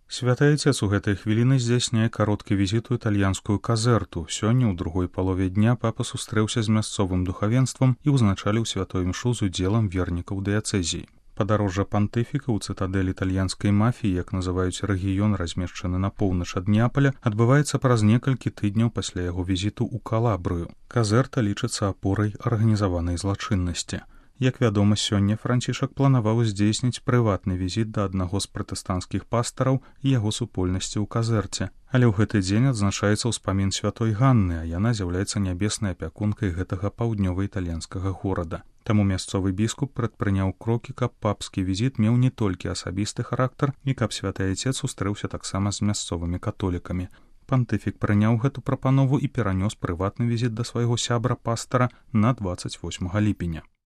Святы Айцец у гэтай хвіліны здзяйсняе кароткі візіт у італьянскую казэрту. Сёння ў другой палове дня папа сустрэўся з мясцовым духавенствам і ўзначаліў святой імшу з удзелам вернікаў дыяцэзіі. Падарожжа пантыфіка ў цытадэль італьянскай мафіі, як называюць рэгіён, размешчаны на поўнач ад Неаполя, адбываецца праз некалькі тыдняў пасля яго візіту ў Калабрыю. Казэрта лічыцца апорай арганізаванай злачыннасці. Як вядома, сёння Францішак планаваў здзейсніць прыватны візіт да аднаго з пратэстанцкіх пастараў і яго супольнасці ў казэрце. Але ў гэты дзень адзначаецца ўспамін святой Ганны, а яна з'яўляецца нябеснай апякункай гэтага паўднёва-італьянскага горада. Таму мясцовы біскуп прадпрыняў крокі, каб папскі візіт меў не толькі асабісты характар і каб святы Айцец сустрэўся таксама з мясцовымі католікамі. Пантыфік прыняў гэту прапанову і перанёс прыватны візіт да свайго сябра-пастара на 28 ліпеня.